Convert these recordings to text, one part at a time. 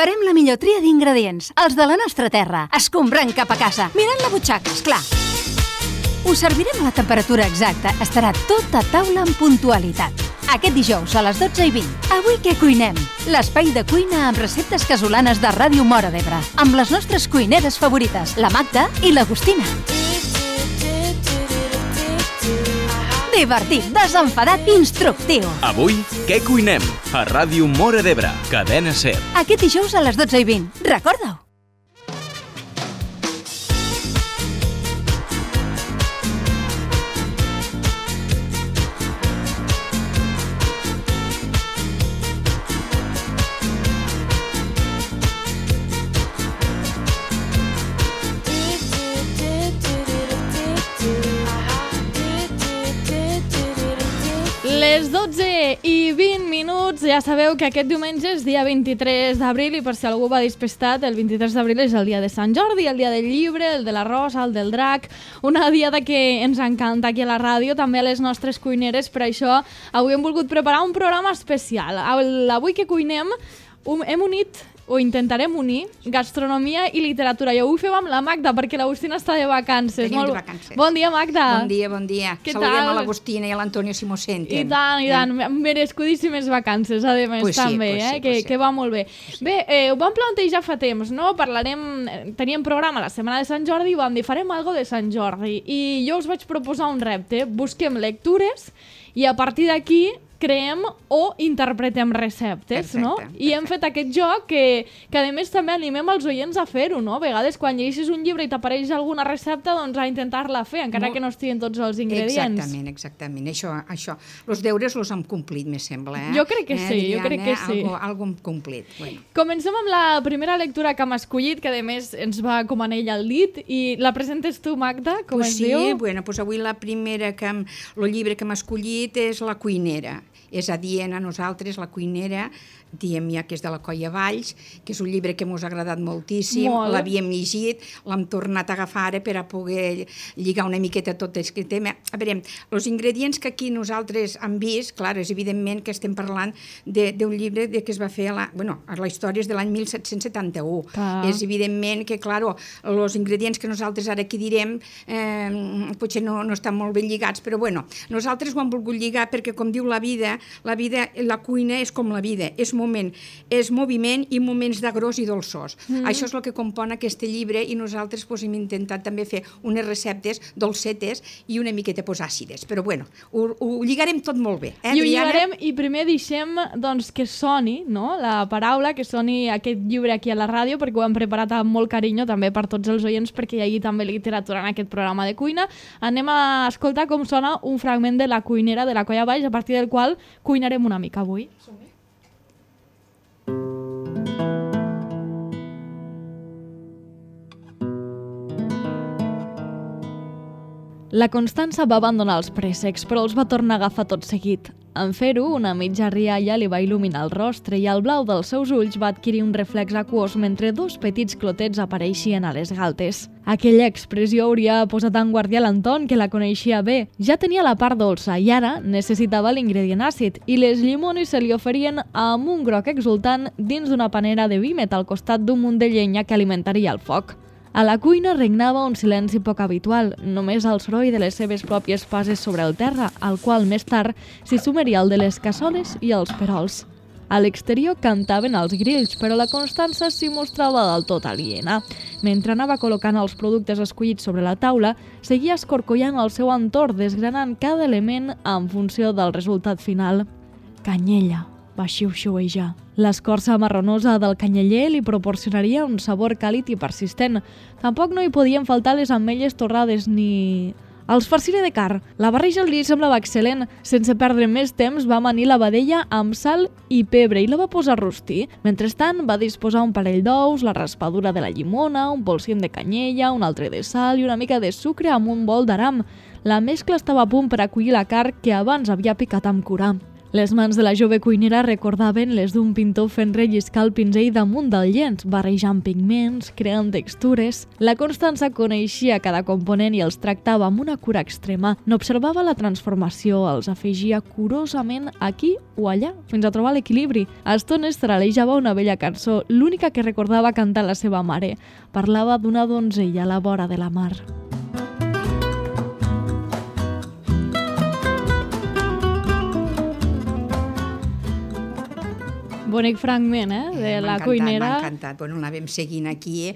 Farem la millor tria d'ingredients, els de la nostra terra, escombrant cap a casa, mirant la butxaca, esclar. Us servirem a la temperatura exacta, estarà tot a taula amb puntualitat. Aquest dijous a les 12:20. Avui què cuinem? L'espai de cuina amb receptes casolanes de Ràdio Móra d'Ebre, amb les nostres cuineres favorites, la Magda i l'Agustina. Divertit, desenfadat, instructiu. Avui, què cuinem? A Ràdio Móra d'Ebre, Cadena SER. Aquest dijous a les 12:20. Recorda-ho. Les 12:20, ja sabeu que aquest diumenge és dia 23 d'abril i per si algú va despistat, el 23 d'abril és el dia de Sant Jordi, el dia del llibre, el de la rosa, el del drac, una diada que ens encanta aquí a la ràdio, també a les nostres cuineres, per això avui hem volgut preparar un programa especial. Avui que cuinem hem unit o intentarem unir gastronomia i literatura. I avui fem amb la Magda, perquè l'Agustina està de vacances. Tenim de vacances. Bon dia, Magda. Bon dia, bon dia. Què Saludem tal? a l'Agustina i a l'Antonio si m'ho senten. I tant, merescudíssimes vacances, a més, Pues sí, també, pues sí. que va molt bé. Bé, ho vam plantejar fa temps, no? Teníem programa la setmana de Sant Jordi i vam dir, farem algo de Sant Jordi. I jo us vaig proposar un repte, busquem lectures i a partir d'aquí creem o interpretem receptes, no? I hem fet aquest joc que a més també animem els oients a fer-ho, no? A vegades quan llegeixes un llibre i t'apareix alguna recepta, doncs a intentar-la fer, encara que no estiguin tots els ingredients. Exactament. Això. Els deures els hem complit, me sembla. Jo crec que sí, Algo hem complit. Bueno. Comencem amb la primera lectura que hem escollit, que a més ens va com anell al dit, i la presentes tu, Magda, com es diu? Sí, bueno, pues avui el llibre que hem escollit és La cuinera. És adient a nosaltres, La cuinera, diem ja que és de la Colla Valls, que és un llibre que ens ha agradat moltíssim, l'havíem llegit, l'hem tornat a agafar ara per a poder lligar una miqueta tot aquest tema. A veure, els ingredients que aquí nosaltres hem vist, clar, és evidentment que estem parlant d'un llibre que es va fer la història és de l'any 1771. És evidentment que, clar, els ingredients que nosaltres ara aquí direm potser no estan molt ben lligats, però bueno, nosaltres ho hem volgut lligar perquè, com diu la la cuina és com la vida, és moviment i moments d'agrós i dolçors. Això és el que compon aquest llibre i nosaltres hem intentat també fer unes receptes dolcetes i una miqueta àcides, però bueno, ho lligarem tot molt bé. I ho lligarem i primer deixem que soni, no? La paraula, que soni aquest llibre aquí a la ràdio, perquè ho hem preparat amb molt carinyo també per tots els oients, perquè hi hagi també literatura en aquest programa de cuina. Anem a escoltar com sona un fragment de La cuinera de la Colla Valls, a partir del qual cuinarem una mica avui. La Constança va abandonar els préssecs, però els va tornar a agafar tot seguit. En fer-ho, una mitja rialla li va il·luminar el rostre i el blau dels seus ulls va adquirir un reflex aquós mentre dos petits clotets apareixien a les galtes. Aquella expressió hauria posat en guàrdia l'Anton, que la coneixia bé. Ja tenia la part dolça i ara necessitava l'ingredient àcid i les llimones se li oferien amb un groc exultant dins d'una panera de vímet al costat d'un munt de llenya que alimentaria el foc. A la cuina regnava un silenci poc habitual, només el soroll de les seves pròpies passes sobre el terra, al qual més tard s'hi sumaria el de les cassoles i els perols. A l'exterior cantaven els grills, però la Constança s'hi mostrava del tot aliena. Mentre anava col·locant els productes escollits sobre la taula, seguia escorcollant el seu entorn, desgranant cada element en funció del resultat final. Canyella, va xiu-xiuejar. L'escorça marronosa del canyeller li proporcionaria un sabor càlid i persistent. Tampoc no hi podien faltar les ametlles torrades ni... Els farciré de carn. La barreja li semblava excel·lent. Sense perdre més temps, va amanir la vedella amb sal i pebre i la va posar a rostir. Mentrestant, va disposar un parell d'ous, la raspadura de la llimona, un polsim de canyella, un altre de sal i una mica de sucre amb un bol d'aram. La mescla estava a punt per acollir la carn que abans havia picat amb cura. Les mans de la jove cuinera recordaven les d'un pintor fent relliscar el pinzell damunt del llenç, barrejant pigments, creant textures. La Constança coneixia cada component i els tractava amb una cura extrema. N'observava la transformació, els afegia curosament aquí o allà, fins a trobar l'equilibri. A estones taralejava una vella cançó, l'única que recordava cantar la seva mare. Parlava d'una donzella a la vora de la mar. Bonic fragment, de la cuinera. M'ha encantat. Bueno, la vam seguint aquí.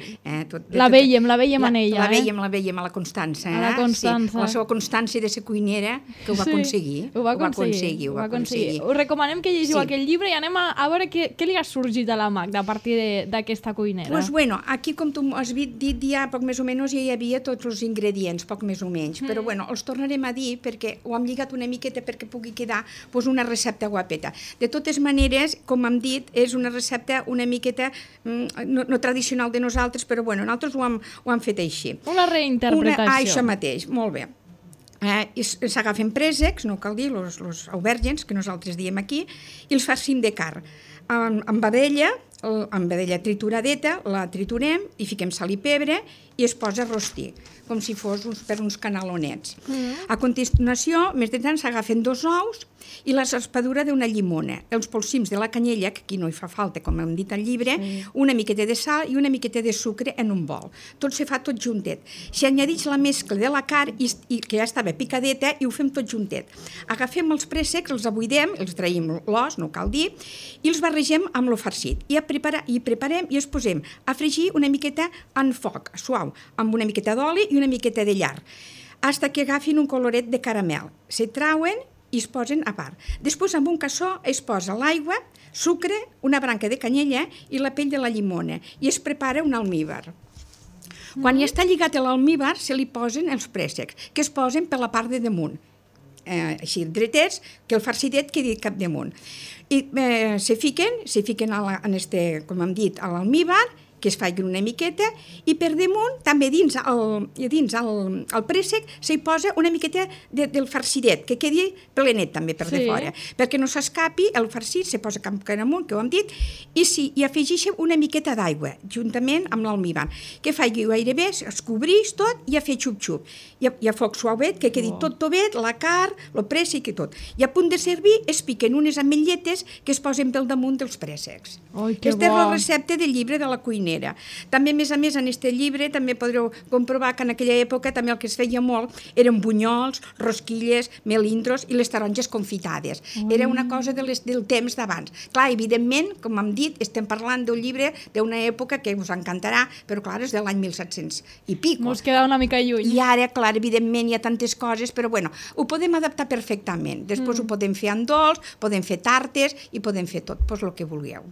La veiem en ella. La veiem a la Constança. A la Constança. Sí, a la seva constància de ser cuinera, que ho va aconseguir. Ho va aconseguir. Us recomanem que llegiu aquell llibre i anem a veure què li ha sorgit a la Magda a partir d'aquesta cuinera. Pues bueno, aquí, com tu has dit, ja poc més o menys ja hi havia tots els ingredients, poc més o menys. Però bueno, els tornarem a dir perquè ho hem lligat una miqueta perquè pugui quedar una recepta guapeta. De totes maneres, com hem dit, és una recepta una miqueta no tradicional de nosaltres, però bueno, nosaltres ho hem fet així. Una reinterpretació. Això mateix, molt bé. S'agafen préssecs, no cal dir, els aubergents, que nosaltres diem aquí, i els farcim de carn. Amb vedella trituradeta, la triturem i fiquem sal i pebre i es posa a rostir, com si fos per uns canalonets. A continuació, més de tant, s'agafen 2 ous i la raspadura d'una llimona, els polsims de la canyella, que aquí no hi fa falta, com hem dit al llibre, una miqueta de sal i una miqueta de sucre en un bol. Tot se fa tot juntet. Si añadix la mescla de la carn, que ja estava picadeta, i ho fem tot juntet. Agafem els préssecs, els abuidem, els traïm l'os, no cal dir, i els barregem amb lo farcit. I preparem i els posem a fregir una miqueta en foc, suau, amb una miqueta d'oli i una miqueta de llar, fins que agafin un coloret de caramel. Se trauen i es posen a part. Després, amb un cassó, es posa l'aigua, sucre, una branca de canyella i la pell de la llimona, i es prepara un almíbar. Quan ja està lligat l'almíbar, se li posen els préssecs, que es posen per la part de damunt, així dretets, que el farcidet quedi cap damunt. I se fiquen com hem dit, a l'almíbar, que es faci una miqueta, i per damunt, també dins el préssec, s'hi posa una miqueta del farcidet, que quedi plenet també per de fora, perquè no s'escapi, el farcit se posa cap amunt, que ho hem dit, i afegeixen una miqueta d'aigua, juntament amb l'almíbar, que faci gairebé, es cobreix tot i a fer xup-xup. I a foc suavet, que quedi tot tovet, la carn, el préssec i tot. I a punt de servir es piquen unes ametlletes que es posen pel damunt dels préssecs. Aquesta és la recepta del llibre de la cuinera. També, a més, en aquest llibre també podreu comprovar que en aquella època també el que es feia molt eren bunyols, rosquilles, melindros i les taronges confitades. Era una cosa del temps d'abans. Clar, evidentment, com hem dit, estem parlant d'un llibre d'una època que us encantarà, però clar, és de l'any 1700 i pico. Mos queda una mica lluny. I ara, clar, evidentment hi ha tantes coses, però bueno, ho podem adaptar perfectament. Després ho podem fer en dolç, podem fer tartes i podem fer tot, el que vulgueu.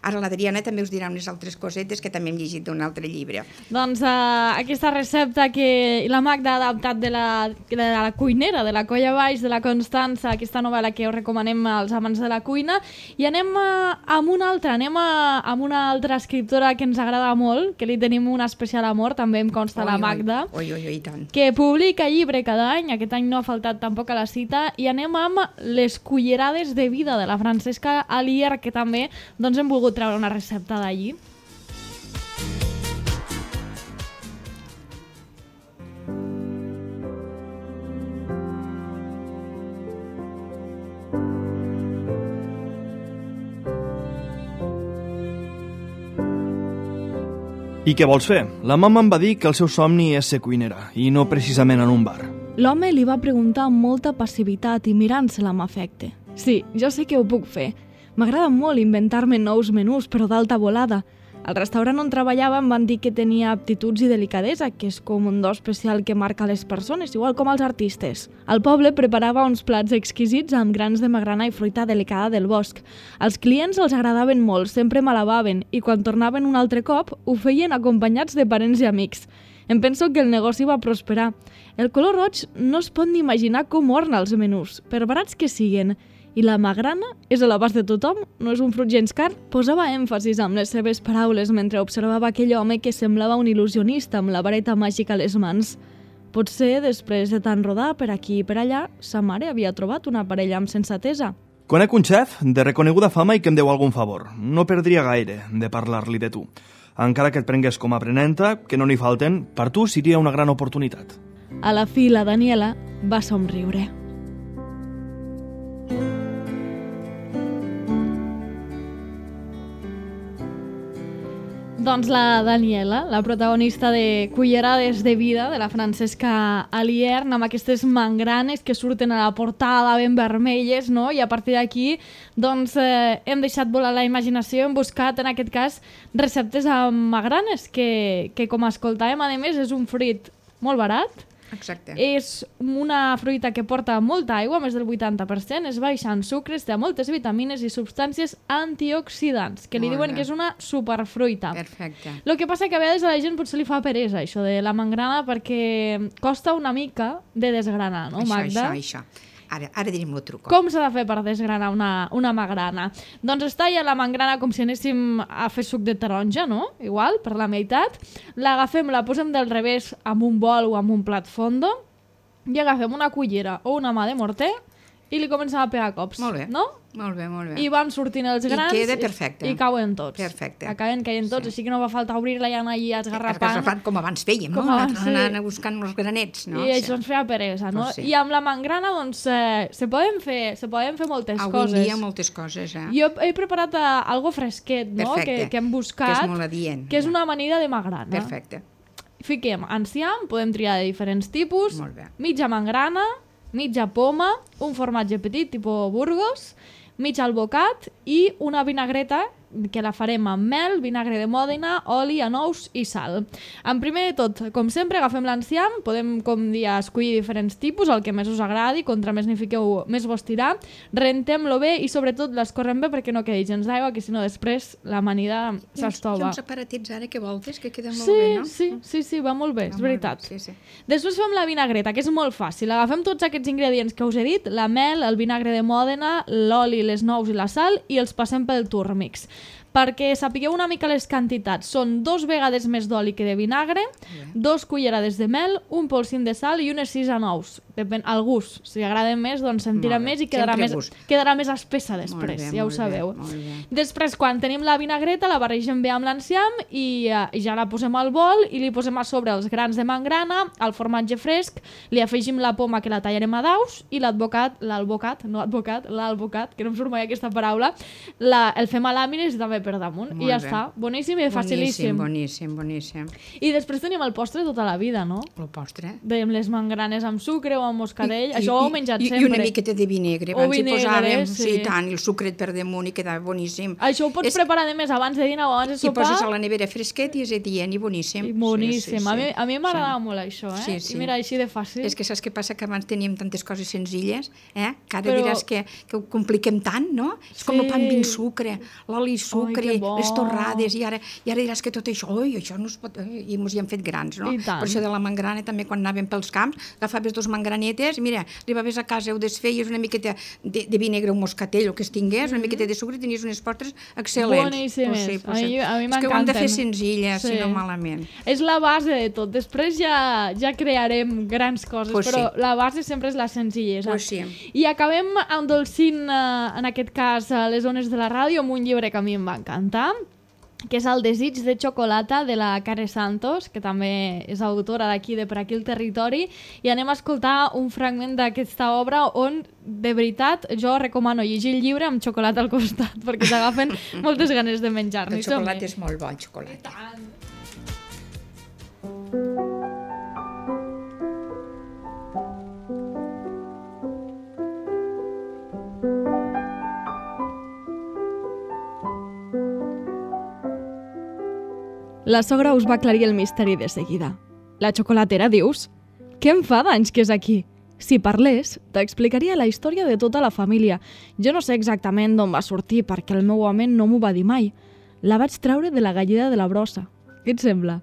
Ara l'Adriana també us dirà unes altres cosetes que també hem llegit d'un altre llibre. Doncs aquesta recepta que la Magda ha adaptat de la cuinera, de la Colla Baix, de la Constança, aquesta novel·la que us recomanem als amants de la cuina, i anem amb una altra escriptora que ens agrada molt, que li tenim un especial amor, també em consta la Magda, que publica llibre cada any, aquest any no ha faltat tampoc a la cita, i anem amb Les cullerades de vida de la Francesca Alier, que també hem volgut treure una recepta d'allí. I què vols fer? La mama em va dir que el seu somni és ser cuinera, i no precisament en un bar. L'home li va preguntar amb molta passivitat i mirant-se-la amb afecte. Sí, jo sé que ho puc fer. M'agrada molt inventar-me nous menús, però d'alta volada. Al restaurant on treballava em van dir que tenia aptituds i delicadesa, que és com un do especial que marca les persones, igual com els artistes. Al poble preparava uns plats exquisits amb grans de magrana i fruita delicada del bosc. Els clients els agradaven molt, sempre m'alabaven, i quan tornaven un altre cop ho feien acompanyats de parents i amics. Em penso que el negoci va prosperar. El color roig no es pot ni imaginar com orna els menús, per barats que siguen. I la magrana és a l'abast de tothom, no és un fruit gens car. Posava èmfasis amb les seves paraules mentre observava aquell home que semblava un il·lusionista amb la vareta màgica a les mans. Potser, després de tant rodar per aquí i per allà, sa mare havia trobat una parella amb sensatesa. Conec un xef de reconeguda fama i que em deu algun favor. No perdria gaire de parlar-li de tu. Encara que et prengués com a aprenenta, que no n'hi falten, per tu seria una gran oportunitat. A la fi, la Daniela va somriure. Doncs la Daniela, la protagonista de Cullerades de vida, de la Francesca Aliern, amb aquestes mangranes que surten a la portada ben vermelles, no? I a partir d'aquí doncs, hem deixat volar la imaginació, hem buscat, en aquest cas, receptes amb magranes, que com escoltàvem, a més, és un fruit molt barat. Exacte. És una fruita que porta molta aigua, més del 80%, és baixa en sucres, té moltes vitamines i substàncies antioxidants, que li diuen que és una superfruita. Perfecte. El que passa que a vegades a la gent potser li fa peresa, això de la mangrana, perquè costa una mica de desgranar, no, Magda? Això. Ara direm el truc. Com s'ha de fer per desgranar una magrana? Doncs es talla la mangrana com si anéssim a fer suc de taronja, no? Igual, per la meitat. L'agafem, la posem del revés amb un bol o amb un plat fondo i agafem una cullera o una mà de morter i li comencem a pegar cops. Molt bé. No? Molt bé, molt bé. I van sortint els grans i queda perfecte. I cauen tots. Perfecte. Acaben caient tots, així que no va faltar obrir-la i anar allà esgarrapant. Com abans fèiem, no? Anant buscant els granets, no? I això ens feia peresa, no? I amb la mangrana, doncs, se poden fer moltes coses. Avui en dia moltes coses, Jo he preparat algo fresquet, no? Que hem buscat. Que és molt adient. Que és una amanida de magrana. Perfecte. Fiquem enciam, podem triar de diferents tipus. Molt bé. Mitja mangrana, mitja poma, un formatge petit, tipus Burgos, mig albocat i una vinagreta que la farem amb mel, vinagre de Mòdena, oli, anous i sal. En primer de tot, com sempre, agafem l'enciam, podem, com dir, escollir diferents tipus, el que més us agradi, contra més n'hi fiqueu, més vos tirà, rentem-lo bé i sobretot l'escorrem bé perquè no quedi gens d'aigua, que si no després l'amanida s'estova. Hi ha uns aparatets ara que voltes que queden molt bé, no? Sí, va molt bé, és veritat. Sí. Després fem la vinagreta, que és molt fàcil. Agafem tots aquests ingredients que us he dit, la mel, el vinagre de Mòdena, l'oli, les nous i la sal, i els passem pel Turmix. Perquè sapigueu una mica les quantitats, són 2 vegades més d'oli que de vinagre, 2 cullerades de mel, un polsim de sal i unes 6 anous. Depèn al gust. Si agrada més, doncs se'n tira més i quedarà més espessa després, ja ho sabeu. Després, quan tenim la vinagreta, la barregem bé amb l'enciam i ja la posem al bol i li posem a sobre els grans de mangrana, el formatge fresc, li afegim la poma que la tallarem a daus i l'albocat, que no em surt mai aquesta paraula, el fem a làmines i també per damunt. I ja està. Boníssim i facilíssim. Boníssim. I després tenim el postre tota la vida, no? El postre? Dèiem les mangranes amb sucre o amb moscadell. Això ho heu menjat sempre. I una miqueta de vinegre. Abans hi posàvem, i tant, el sucret per damunt i quedava boníssim. Això ho pots preparar de més abans de dinar o abans de sopar. I poses a la nevera fresquet i és adient i boníssim. Boníssim. A mi m'agradava molt això, eh? Sí. I mira, així de fàcil. És que saps què passa? Que abans teníem tantes coses senzilles, que ara diràs que ho compliquem tant, no? És com el pa amb sucre, l'oli sucre, les torrades, i ara diràs que tot això, això no es pot... I ens hi hem fet grans, no? Per això de la mangrana, també quan anàvem pels camps, agafaves 2 mangranetes, mira, arribaves a casa, ho desfeies una miqueta de vinagre o moscatell, o que es tingués, una miqueta de sucre, tenies unes postres excel·lents. Boníssimes. A mi m'encanten. És que ho hem de fer senzilles, si no malament. És la base de tot. Després ja crearem grans coses, però la base sempre és la senzillesa. I acabem endolcint, en aquest cas, les ones de la ràdio, amb un llibre que a mi em va encantar, que és El desig de xocolata, de la Care Santos, que també és autora d'aquí, de Per aquí el territori, i anem a escoltar un fragment d'aquesta obra on, de veritat, jo recomano llegir el llibre amb xocolata al costat, perquè t'agafen moltes ganes de menjar-ne. El xocolata és molt bo, el xocolata. La sogra us va aclarir el misteri de seguida. La xocolatera, dius? Què em fa d'anys que és aquí? Si parlés, t'explicaria la història de tota la família. Jo no sé exactament d'on va sortir, perquè el meu home no m'ho va dir mai. La vaig treure de la galleda de la brossa. Què et sembla?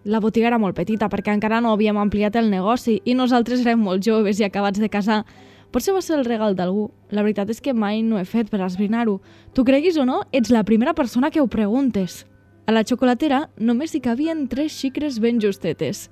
La botiga era molt petita, perquè encara no havíem ampliat el negoci i nosaltres érem molt joves i acabats de casar. Potser va ser el regal d'algú. La veritat és que mai no he fet per esbrinar-ho. Tu creguis o no, ets la primera persona que ho preguntes. A la xocolatera només hi cabien 3 xicres ben justetes.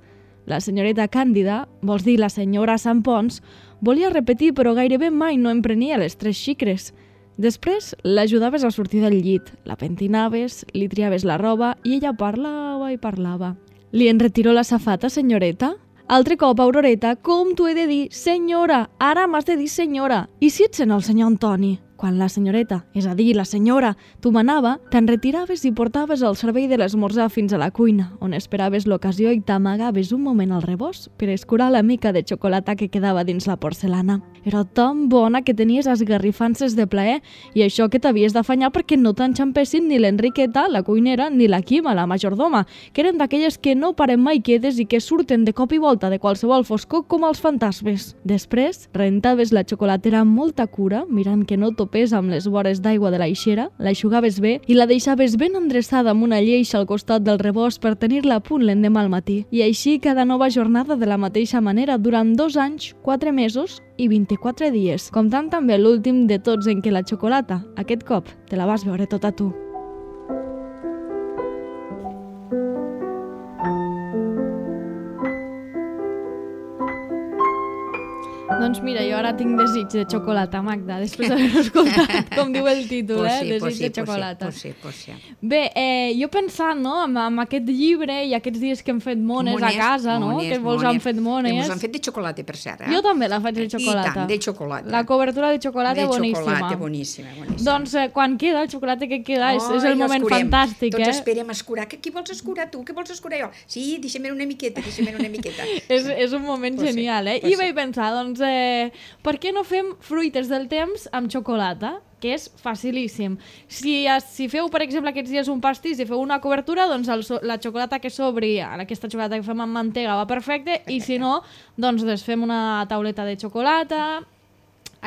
La senyoreta Càndida, vols dir la senyora Sant Pons, volia repetir però gairebé mai no em prenia les 3 xicres. Després l'ajudaves a sortir del llit, la pentinaves, li triaves la roba i ella parlava i parlava. Li enretiró la safata, senyoreta? Altre cop, Auroreta, com t'ho he de dir? Senyora! Ara m'has de dir senyora! I si ets en el senyor Antoni? Quan la senyoreta, és a dir, la senyora, t'ho manava, te'n retiraves i portaves el servei de l'esmorzar fins a la cuina, on esperaves l'ocasió i t'amagaves un moment al rebost per escurar la mica de xocolata que quedava dins la porcelana. Era tan bona que tenies esgarrifances de plaer i això que t'havies d'afanyar perquè no t'enxampessin ni l'Enriqueta, la cuinera, ni la Quima, la majordoma, que eren d'aquelles que no paren mai quietes i que surten de cop i volta de qualsevol foscor com els fantasmes. Després, rentaves la xocolatera amb molta cura, mirant que no topés amb les vores d'aigua de l'aixera, l'aixugaves bé i la deixaves ben endreçada amb una lleixa al costat del rebost per tenir-la a punt l'endemà al matí. I així cada nova jornada de la mateixa manera durant 2 anys, 4 mesos i 24 dies, comptant també l'últim de tots en què la xocolata, aquest cop, te la vas veure tota tu. Doncs mira, jo ara tinc desig de xocolata, Magda, després d'haver-ho escoltat, com diu el títol, desig de xocolata. Pues sí. Bé, jo pensant, no, amb aquest llibre i aquests dies que hem fet mones a casa, no, que molts han fet mones. Ens han fet de xocolata, per cert. Jo també la faig de xocolata. I tant, de xocolata. La cobertura de xocolata boníssima. De xocolata boníssima. Doncs quan queda, el xocolata que queda és el moment fantàstic, Tots esperem escurar. Qui vols escurar tu? Què vols escurar jo? Sí, deixa'm una miqueta. És un moment genial, I vaig pensar, doncs, per què no fem fruites del temps amb xocolata? Que és facilíssim. Si feu, per exemple, aquests dies un pastís i feu una cobertura, doncs la xocolata que s'obri, aquesta xocolata que fem amb mantega va perfecte, i si no, doncs desfem una tauleta de xocolata.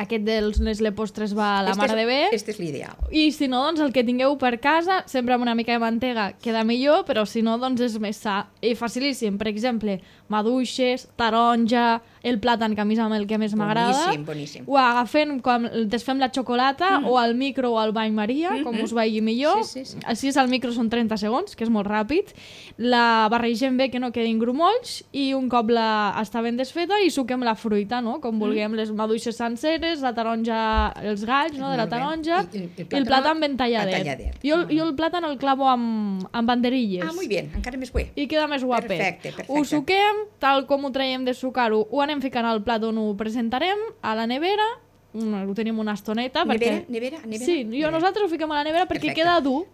Aquest dels Nestlé Postres va a la mare de bé. Este és l'ideal. I si no, doncs el que tingueu per casa, sempre amb una mica de mantega queda millor, però si no, doncs és més sa. I facilíssim, per exemple, maduixes, taronja, el plàtan, que a mi és el que més m'agrada. Boníssim. Ho agafem, quan desfem la xocolata, o al micro o al bany Maria, com us vagi millor. Sí. Així al micro són 30 segons, que és molt ràpid. La barregem bé, que no quedin grumolls, i un cop està ben desfeta, i suquem la fruita, no? Com vulguem, les maduixes senceres, la taronja, els galls, no?, de la taronja, i el plàtan ben talladet. Jo el plàtan el clavo amb banderilles. Ah, molt bé, encara més bé. I queda més guapet. Perfecte. Ho suquem, tal com ho traiem de sucar-ho, ho anem ficant al plat on ho presentarem, a la nevera, ho tenim una estoneta. Nevera? Sí, nosaltres ho fiquem a la nevera perquè queda dur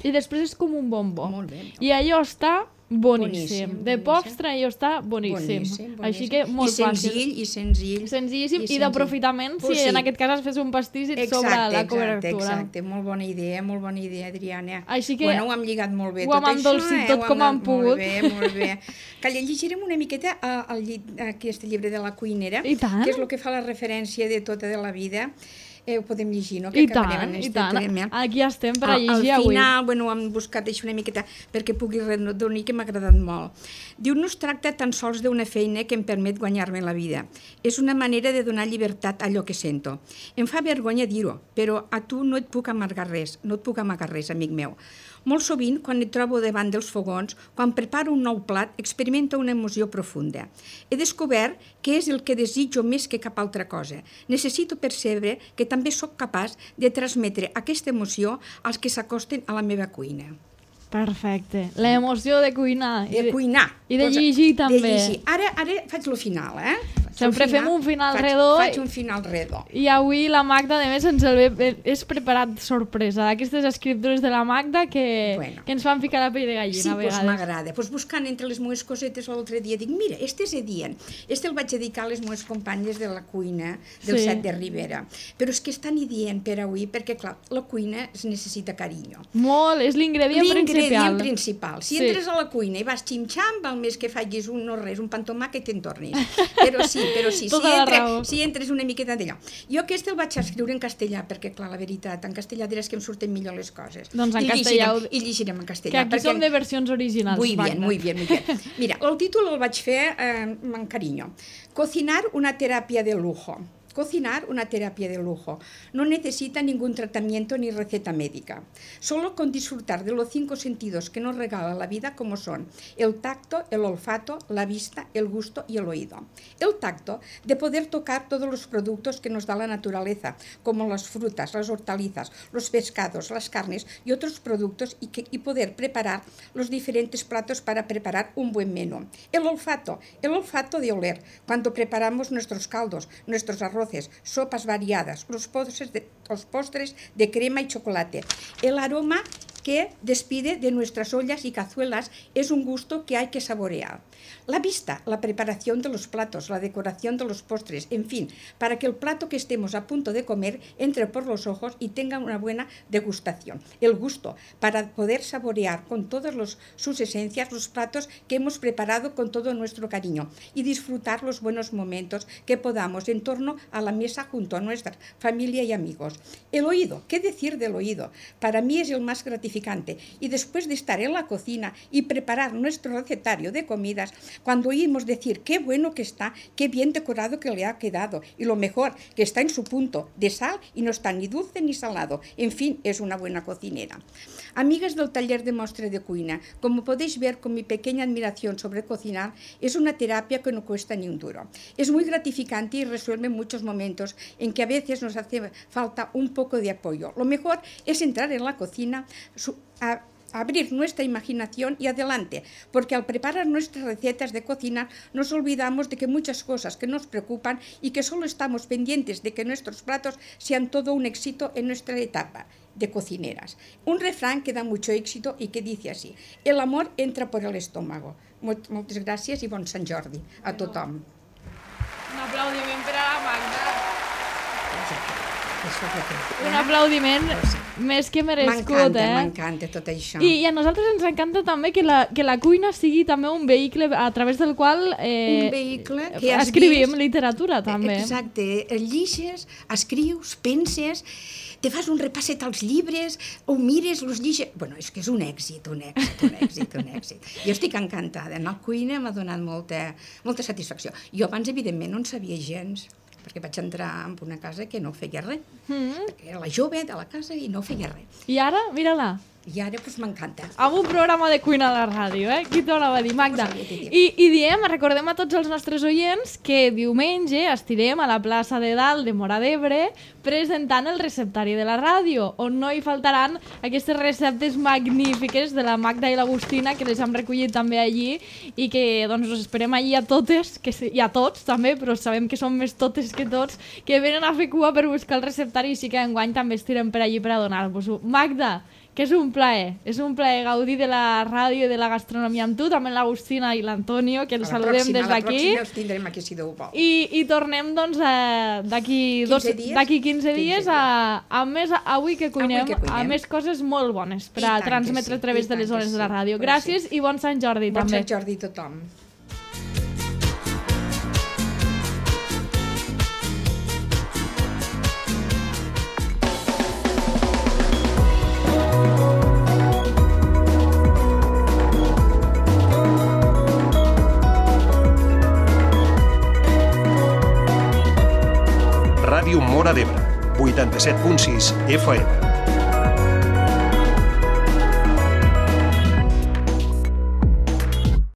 i després és com un bombó. Molt bé. I allò està boníssim. De postre allò està boníssim. Així que molt fàcil. I senzill. Senzillíssim i d'aprofitament si en aquest cas has fet un pastís i et sobra la cobertura. Exacte. Molt bona idea, Adriana. Així que ho hem lligat molt bé ho hem endolcit tot com hem pogut. Molt bé. Que llegirem una miqueta aquest llibre de la cuinera, que és el que fa la referència de tota de la vida. Ho podem llegir, no? I tant. Aquí estem per a llegir avui. Al final, hem buscat això una miqueta perquè pugui redonir, que m'ha agradat molt. Diu, no es tracta tan sols d'una feina que em permet guanyar-me la vida. És una manera de donar llibertat a allò que sento. Em fa vergonya dir-ho, però a tu no et puc amagar res, amic meu. Molt sovint, quan et trobo davant dels fogons, quan preparo un nou plat, experimento una emoció profunda. He descobert que és el que desitjo més que cap altra cosa. Necessito percebre que també sóc capaç de transmetre aquesta emoció als que s'acosten a la meva cuina. Perfecte. L'emoció de cuinar. De cuinar. I de llegir també. Ara faig el final, Sempre fem un final redó. Faig un final redó. I avui la Magda, a més, és preparat sorpresa. Aquestes escriptures de la Magda que ens fan ficar la pell de gallina a vegades. Sí, m'agrada. Buscant entre les meves cosetes l'altre dia, dic, mira, este és Edien. Este el vaig dedicar a les meves companyes de la cuina del Set de Ribera. Però és que és tan Edien per avui, perquè, clar, la cuina es necessita carinyo. Molt, és l'ingredient principal. Si entres a la cuina i vas xim-xam, val més que facis un pan tomàquet i te'n tornis. Però sí, si entres una miqueta d'allò. Jo aquest el vaig escriure en castellà, perquè, clar, la veritat, en castellà diràs que em surten millor les coses. Doncs en castellà. I llegirem en castellà. Que aquí som de versions originals. Muy bien. Mira, el títol el vaig fer amb carinyo. Cocinar una teràpia de lujo. Cocinar, una terapia de lujo. No necesita ningún tratamiento ni receta médica. Solo con disfrutar de los 5 sentidos que nos regala la vida, como son el tacto, el olfato, la vista, el gusto y el oído. El tacto, de poder tocar todos los productos que nos da la naturaleza, como las frutas, las hortalizas, los pescados, las carnes y otros productos y poder preparar los diferentes platos para preparar un buen menú. El olfato de oler, cuando preparamos nuestros caldos, nuestros arroces, sopas variadas, los postres de crema y chocolate. El aroma que despide de nuestras ollas y cazuelas es un gusto que hay que saborear. La vista, la preparación de los platos, la decoración de los postres, en fin, para que el plato que estemos a punto de comer entre por los ojos y tenga una buena degustación. El gusto, para poder saborear con todas sus esencias los platos que hemos preparado con todo nuestro cariño y disfrutar los buenos momentos que podamos en torno a la mesa junto a nuestra familia y amigos. El oído, ¿qué decir del oído? Para mí es el más gratificante. Y después de estar en la cocina y preparar nuestro recetario de comidas, cuando oímos decir qué bueno que está, qué bien decorado que le ha quedado y lo mejor, que está en su punto de sal y no está ni dulce ni salado, en fin, es una buena cocinera. Amigas del taller de Mostra de Cuina, como podéis ver con mi pequeña admiración sobre cocinar, es una terapia que no cuesta ni un duro. Es muy gratificante y resuelve muchos momentos en que a veces nos hace falta un poco de apoyo. Lo mejor es entrar en la cocina, abrir nuestra imaginación y adelante, porque al preparar nuestras recetas de cocina nos olvidamos de que muchas cosas que nos preocupan y que solo estamos pendientes de que nuestros platos sean todo un éxito en nuestra etapa de cocineras. Un refrán que da mucho éxito y que dice así: el amor entra por el estómago. Moltes gràcies i bon Sant Jordi a tothom. Un aplaudiment per a la Magda. Un aplaudiment més que merescut, M'encanta tot això. I a nosaltres ens encanta també que la cuina sigui també un vehicle a través del qual escrivim literatura, també. Exacte, lliges, escrius, penses, te fas un repasset als llibres, ho mires, els lliges... Bueno, és que és un èxit. Jo estic encantada. Anar a la cuina m'ha donat molta satisfacció. Jo abans, evidentment, no en sabia gens, perquè vaig entrar en una casa que no feia res. Perquè era la jove de la casa i no feia res. I ara, mira-la. I ara doncs m'encanta. Amb un programa de cuina a la ràdio, Qui t'ho anava a dir, Magda? I recordem a tots els nostres oients que diumenge estirem a la plaça de Dalt de Móra d'Ebre presentant el receptari de la ràdio, on no hi faltaran aquestes receptes magnífiques de la Magda i l'Agustina, que les hem recollit també allí i que doncs us esperem allí a totes, i a tots també, però sabem que són més totes que tots, que venen a fer cua per buscar el receptari i sí que enguany també estirem per allí per a donar-vos-ho. Magda, que és un plaer gaudir de la ràdio i de la gastronomia amb tu, també l'Agustina i l'Antonio, que els saludem des d'aquí. A la pròxima els tindrem aquí, si Déu vol. I tornem doncs d'aquí 15 dies amb més Avui que cuinem, amb més coses molt bones per a transmetre a través de les zones de la ràdio. Gràcies i bon Sant Jordi també. Bon Sant Jordi a tothom. Ràdio Móra d'Ebre, 87.6 FM.